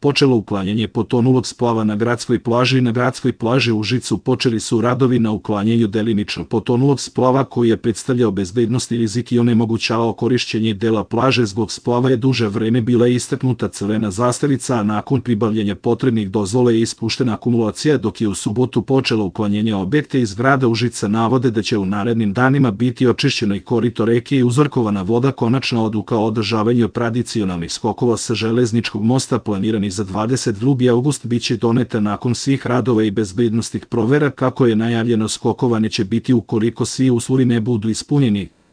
počelo uklanjanje potonulog splava na gradskoj plaži. Na gradskoj plaži u Užicu počeli su radovi na uklanjanju delimično potonulog splava koji je predstavljao bezbednosni rizik i onemogućavao korišćenje dela plaže. Zbog splava je duže vreme bila istaknuta crvena zastavica, a nakon pribavljanja potrebnih dozvola je ispuštena akumulacija, dok je u subotu počelo uklanjanje. Objekte iz grada Užica navode da će u narednim danima biti očišćeno i korito reke i uzorkovana voda. Konačna odluka o održavanju tradicionalnih skokova sa železničkog mosta planirani za 22. avgust biće doneta nakon svih radova i bezbednosnih provera. Kako je najavljeno, skokova neće biti ukoliko svi uslovi ne budu ispunjeni.